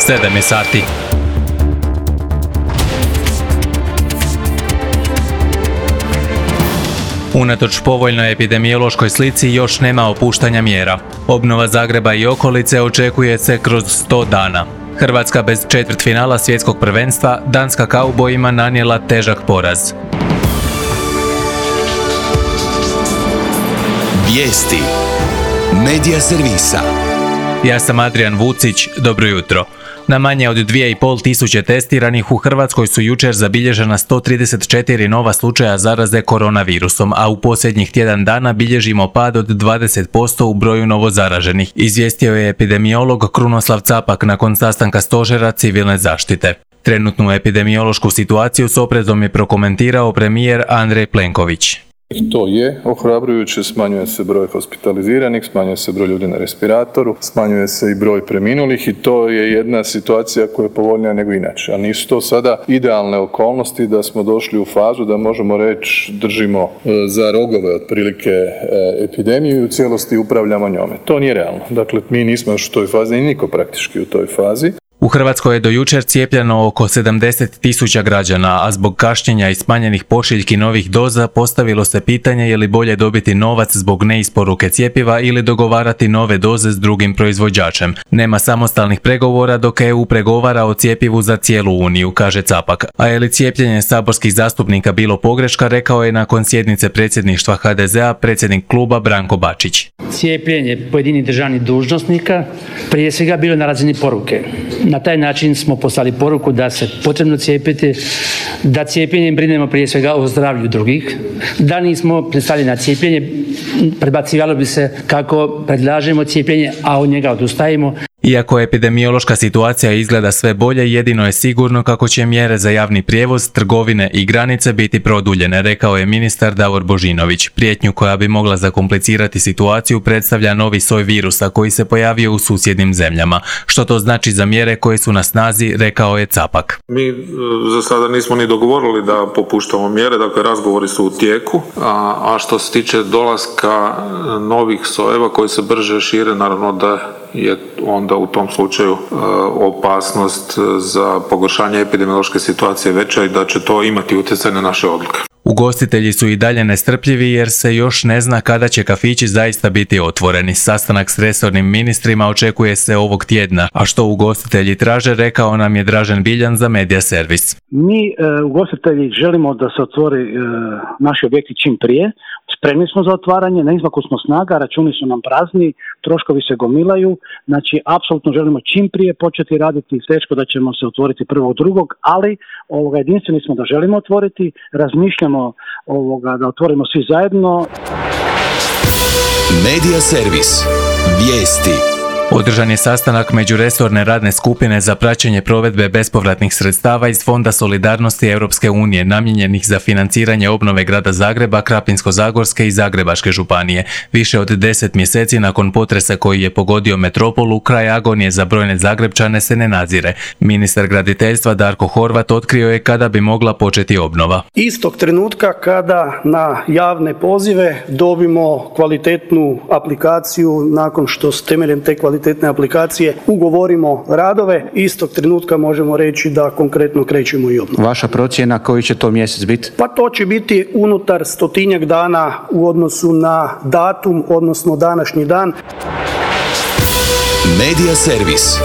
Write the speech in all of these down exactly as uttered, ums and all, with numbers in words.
sedam je sati. Unatoč povoljnoj epidemiološkoj slici još nema opuštanja mjera. Obnova Zagreba i okolice očekuje se kroz sto dana. Hrvatska bez četvrtfinala svjetskog prvenstva, Danska kaubojima nanijela težak poraz. Vijesti Medija servisa. Ja sam Adrian Vucić, dobro jutro. Na manje od dvije i pol tisuće testiranih u Hrvatskoj su jučer zabilježena sto trideset četiri nova slučaja zaraze koronavirusom, a u posljednjih tjedan dana bilježimo pad od dvadeset posto u broju novozaraženih, izvijestio je epidemiolog Krunoslav Capak nakon sastanka stožera civilne zaštite. Trenutnu epidemiološku situaciju s oprezom je prokomentirao premijer Andrej Plenković. To je ohrabrujuće, smanjuje se broj hospitaliziranih, smanjuje se broj ljudi na respiratoru, smanjuje se i broj preminulih i to je jedna situacija koja je povoljnija nego inače. A nisu to sada idealne okolnosti da smo došli u fazu da možemo reći držimo za rogove otprilike epidemiju i u cijelosti upravljamo njome. To nije realno. Dakle, mi nismo još u toj fazi i niko praktički u toj fazi. U Hrvatskoj je do jučer cijepljeno oko sedamdeset tisuća građana, a zbog kašnjenja i smanjenih pošiljki novih doza postavilo se pitanje je li bolje dobiti novac zbog neisporuke cjepiva ili dogovarati nove doze s drugim proizvođačem. Nema samostalnih pregovora dok E U pregovara o cjepivu za cijelu Uniju, kaže Capak. A je li cijepljenje saborskih zastupnika bilo pogreška, rekao je nakon sjednice predsjedništva H D Z A predsjednik kluba Branko Bačić. Cijepljenje pojedinih državnih dužnosnika prije svega bilo na razini poruke. Na taj način smo poslali poruku da se potrebno cijepiti, da cijepljenjem brinemo prije svega o zdravlju drugih. Da nismo pristali na cijepljenje, prebacivalo bi se kako predlažemo cijepljenje, a od njega odustajemo. Iako epidemiološka situacija izgleda sve bolje, jedino je sigurno kako će mjere za javni prijevoz, trgovine i granice biti produljene, rekao je ministar Davor Božinović. Prijetnju koja bi mogla zakomplicirati situaciju predstavlja novi soj virusa koji se pojavio u susjednim zemljama. Što to znači za mjere koje su na snazi, rekao je Capak. Mi za sada nismo ni dogovorili da popuštamo mjere, dakle razgovori su u tijeku, a, a što se tiče dolaska novih sojeva koji se brže šire, naravno da je onda u tom slučaju e, opasnost za pogoršanje epidemiološke situacije veća i da će to imati utjecaj na naše odluke. Ugostitelji su i dalje nestrpljivi jer se još ne zna kada će kafići zaista biti otvoreni. Sastanak s resornim ministrima očekuje se ovog tjedna, a što ugostitelji traže, rekao nam je Dražen Biljan za Medija servis. Mi e, ugostitelji želimo da se otvori e, naši objekti čim prije. Spremni smo za otvaranje, na izmaku smo snaga, računi su nam prazni, troškovi se gomilaju, znači apsolutno želimo čim prije početi raditi, teško da ćemo se otvoriti prvog drugog, ali ovoga, jedinstveni smo da želimo otvoriti, razmišljamo ovoga, da otvorimo svi zajedno. Medija servis. Vijesti. Održan je sastanak međuresorne radne skupine za praćenje provedbe bespovratnih sredstava iz Fonda solidarnosti Europske unije namijenjenih za financiranje obnove grada Zagreba, Krapinsko-zagorske i Zagrebačke županije. Više od deset mjeseci nakon potresa koji je pogodio metropolu, kraj agonije za brojne Zagrebčane se ne nazire. Ministar graditeljstva Darko Horvat otkrio je kada bi mogla početi obnova. Istog trenutka kada na javne pozive dobimo kvalitetnu aplikaciju, nakon što s temeljem te kvalitetne kvalitetne aplikacije ugovorimo radove, istog trenutka možemo reći da konkretno krećemo i obnovu. Vaša procjena koji će to mjesec biti? Pa to će biti unutar stotinjak dana u odnosu na datum, odnosno današnji dan. Medija servis.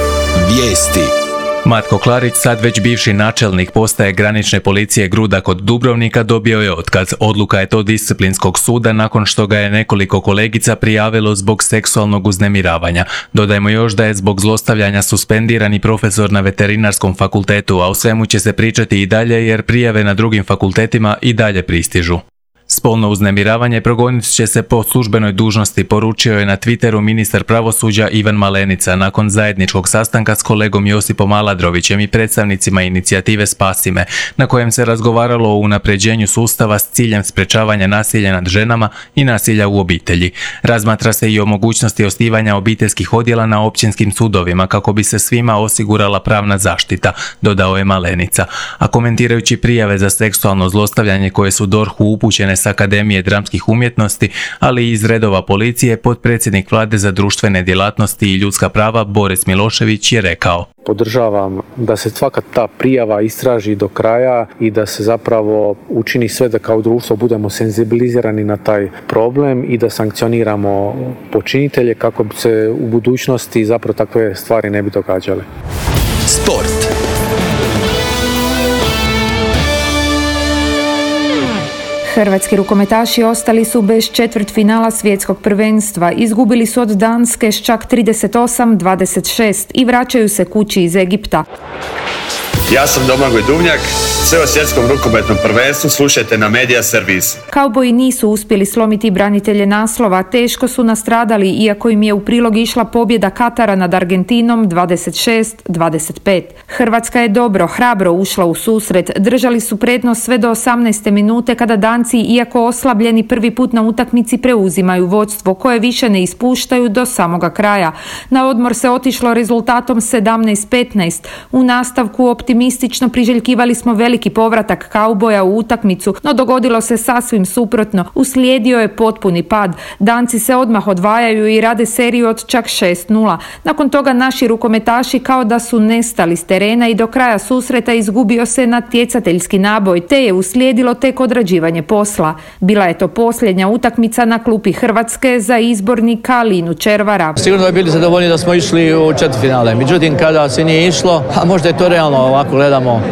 Vijesti. Matko Klarić, sad već bivši načelnik postaje granične policije Gruda kod Dubrovnika, dobio je otkaz. Odluka je to disciplinskog suda nakon što ga je nekoliko kolegica prijavilo zbog seksualnog uznemiravanja. Dodajmo još da je zbog zlostavljanja suspendirani profesor na veterinarskom fakultetu, a o svemu će se pričati i dalje jer prijave na drugim fakultetima i dalje pristižu. Spolno uznemiravanje progonit će se po službenoj dužnosti, poručio je na Twitteru ministar pravosuđa Ivan Malenica nakon zajedničkog sastanka s kolegom Josipom Aladrovićem i predstavnicima inicijative Spasi me, na kojem se razgovaralo o unapređenju sustava s ciljem sprečavanja nasilja nad ženama i nasilja u obitelji. Razmatra se i o mogućnosti osnivanja obiteljskih odjela na općinskim sudovima kako bi se svima osigurala pravna zaštita, dodao je Malenica. A komentirajući prijave za seksualno zlostavljanje koje su D O R H-u upućene s Akademije dramskih umjetnosti, ali i iz redova policije, potpredsjednik Vlade za društvene djelatnosti i ljudska prava Boris Milošević je rekao: Podržavam da se svaka ta prijava istraži do kraja i da se zapravo učini sve da kao društvo budemo senzibilizirani na taj problem i da sankcioniramo počinitelje kako bi se u budućnosti zapravo takve stvari ne bi događale. Sport. Hrvatski rukometaši ostali su bez četvrtfinala svjetskog prvenstva. Izgubili su od Danske s čak trideset osam dvadeset šest i vraćaju se kući iz Egipta. Ja sam Domagoj Duvnjak, sve o svjetskom rukometnom prvenstvu slušajte na Media Servis. Kauboji nisu uspjeli slomiti branitelje naslova, teško su nastradali iako im je u prilog išla pobjeda Katara nad Argentinom dvadeset šest dvadeset pet. Hrvatska je dobro, hrabro ušla u susret, držali su prednost sve do osamnaeste minute kada Danci, iako oslabljeni prvi put na utakmici, preuzimaju vodstvo koje više ne ispuštaju do samoga kraja. Na odmor se otišlo rezultatom sedamnaest petnaest. U nastavku optimistično priželjkivali smo veliki povratak kauboja u utakmicu, no dogodilo se sasvim suprotno. Uslijedio je potpuni pad. Danci se odmah odvajaju i rade seriju od čak šest nula. Nakon toga naši rukometaši kao da su nestali s terena i do kraja susreta izgubio se natjecateljski naboj, te je uslijedilo tek odrađivanje posla. Bila je to posljednja utakmica na klupi Hrvatske za izbornika Linu Červara. Sigurno je bili zadovoljni da smo išli u četvrtfinale. Međutim, kada se nije išlo, a možda je to realno ovako gledamo,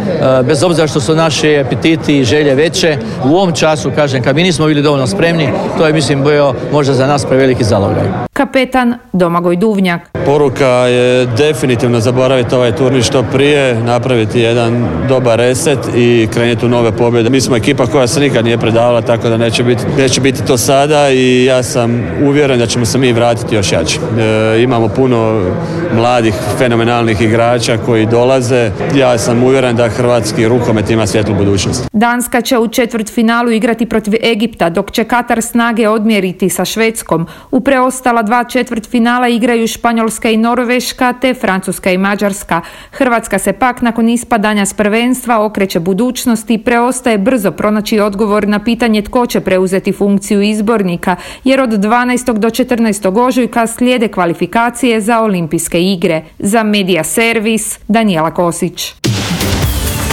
bez obzira što su naši apetiti i želje veće, u ovom času, kažem, kad mi nismo bili dovoljno spremni, to je, mislim, bio možda za nas preveliki zalogaj. Kapetan Domagoj Duvnjak. Poruka je definitivno zaboraviti ovaj turnir što prije, napraviti jedan dobar reset i krenuti u nove pobjede. Mi smo ekipa koja se nikad nije predavala, tako da neće biti, neće biti to sada i ja sam uvjeren da ćemo se mi vratiti još jači. E, imamo puno mladih, fenomenalnih igrača koji dolaze. Ja sam uvjeren da hrvatski rukomet ima svjetlu budućnost. Danska će u četvrtfinalu igrati protiv Egipta, dok će Katar snage odmjeriti sa Švedskom. U preostala dva četvrtfinala igraju Španjolska i Norveška, te Francuska i Mađarska. Hrvatska se pak nakon ispadanja s prvenstva okreće budućnosti i preostaje brzo pronaći odgovor na pitanje tko će preuzeti funkciju izbornika, jer od dvanaestog do četrnaestog ožujka slijede kvalifikacije za olimpijske igre. Za Media Servis, Danijela Kosić.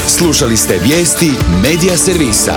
Slušali ste vijesti Media Servisa.